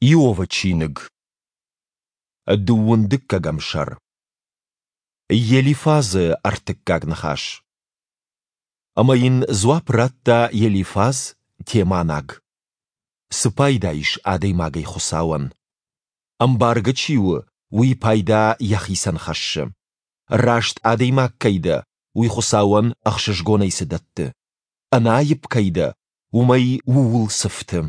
Иовы чиныг. Дыууын дыккӕгӕм сӕр. Елифазы ӕртыккаг ныхас. Ӕмӕ йын дзуапп радта Елифаз, теманаг. Цы пайда ис адӕймагӕй Хуыцауӕн? Ӕмбаргӕ чи у, уый пайда йӕхицӕн хӕссы. Раст адӕймаг кӕй дӕ, уый Хуыцауӕн ӕхсызгонӕй цы дӕтты? Ӕнаипп кӕй дӕ, уымӕй ууыл цы фты?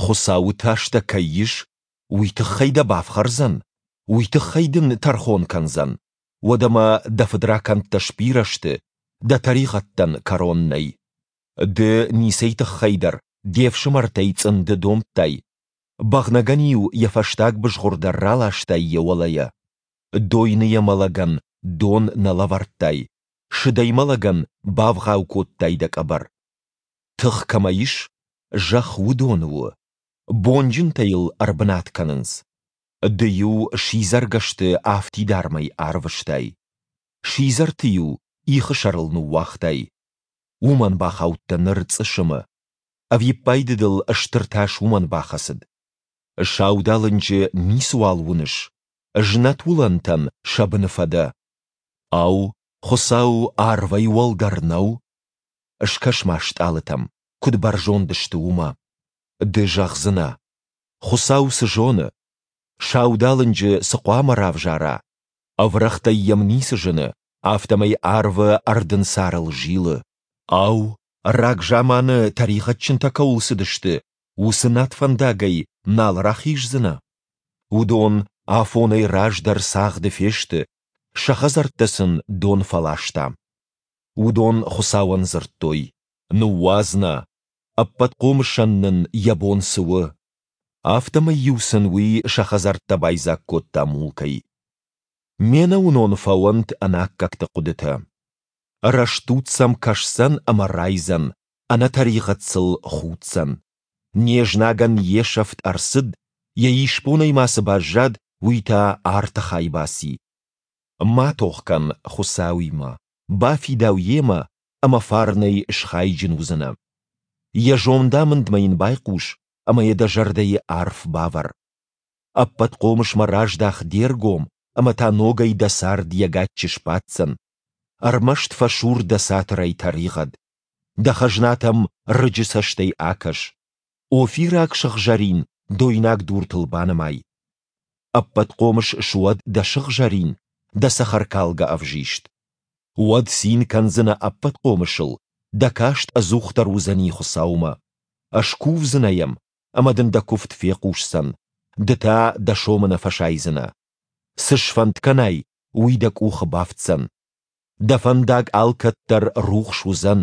Хуыцауы тас дӕ кӕй ис, уый тыххӕй дӕ бафхӕрдзӕн, уый тыххӕй дын тӕрхон кӕндзӕн. Уӕдӕмӕ дӕ фыдракӕндтӕ сбирӕ сты, дӕ тӕригъӕдтӕн кӕрон нӕй. Ды ницӕй тыххӕй дӕр де фсымӕртӕй цъынды домдтай, бӕгънӕгӕн-иу йӕ фӕстаг бызгъуыр дӕр раластай йӕ уӕлӕйӕ. Дойныйӕ мӕлӕгӕн дон нӕ лӕвӕрдтай, сыдӕй мӕлӕгӕн бавгъау кодтай дӕ къӕбӕр. Тых кӕмӕ ис, зӕхх уыдоны у, бонджынтӕ йыл ӕрбынат кӕнынц. Ды-иу сидзӕргӕсты афтидармӕй арвыстай. Сидзӕрты-иу ихы сӕрыл ныууагътай. Уымӕн бахаудтӕ ныр цъысымы. Ӕвиппайды дыл стыр тас уымӕн бахӕцыд. Саудалынджы ницыуал уыныс, знӕт уылӕнтӕн сӕ быны фӕдӕ. Ау, Хуыцау арвӕй уӕлдӕр нӕу? Скӕс-ма стъалытӕм, куыд бӕрзонд сты, уымӕ. Ды зӕгъдзынӕ, Хуыцау цы зоны? Саудалынджы цы хъуамӕ равзара? Ӕврӕгътӕй йӕм ницы зыны, афтӕмӕй арвы ӕрдынцарыл зилы. Ау, рагзаманы тӕригъӕдджынтӕ кӕуыл цыдысты, уыцы над фӕндагӕй нал рахиздзынӕ? Уыдон афонӕй раздӕр цагъды фесты, сӕ хӕдзӕрттӕ сын дон фӕласта. Уыдон Хуыцауӕн дзырдтой, Ныууадз нӕ, Ӕппӕтхъомысӕн нын йӕ бон цы у? Афтӕмӕй-иу сын уый сӕ хӕдзӕрттӕ байдзаг кодта мулкӕй. Ме нӕуынон фӕуӕнт ӕнаккӕгты хъуыдытӕ. Рӕстуд сӕм кӕсдзӕн ӕмӕ райдзӕн, ӕнӕтӕригъӕд сыл худдзӕн. Не знагӕн йе сӕфт ӕрцыд, йӕ исбонӕй ма цы баззад, уый та арты хай баци. Ма тох кӕн Хуыцауимӕ, бафидау йемӕ ӕмӕ фарнӕй схайджын уыдзынӕ. Йӕ зондамындмӕ йын байхъус ӕмӕ йӕ дӕ зӕрдӕйы арф бавӕр. Ӕппӕтхъомысмӕ раздах де ргом ӕмӕ та ногӕй дӕ цард йӕ гаччы сбаддзӕн. Ӕрмӕст фӕсур дӕ цатырӕй тӕригъӕд. Дӕ хӕзнатӕм рыджы цӕстӕй акӕс. Офираг сыгъзӕрин дойнаг дуртыл банымай. Ӕппӕтхъомыс суӕд дӕ сыгъзӕрин, дӕ цӕхӕркалгӕ ӕвзист. Уӕд цин кӕндзынӕ Ӕппӕтхъомысыл, дӕ каст ӕдзухдӕр уыдзӕни Хуыцаумӕ. Скувдзынӕ йӕм, ӕмӕ дын дӕ куывд фехъусдзӕн, ды та дӕ сомы нӕ фӕсайдзынӕ. Цы сфӕнд кӕнай, уый дӕ къухы бафтдзӕн. Дӕ фӕндаг алкӕддӕр рухс уыдзӕн,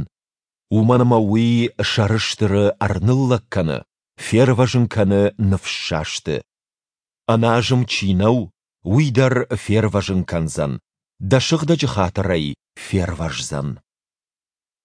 уымӕн ӕмӕ уый сӕрыстыры ӕрныллӕг кӕны, фервӕзын кӕны ныфссасты. Ӕназым чи нӕу, уый дӕр фервӕзын кӕндзӕн, дӕ сыгъдӕджы хатырӕй фервӕздзӕн.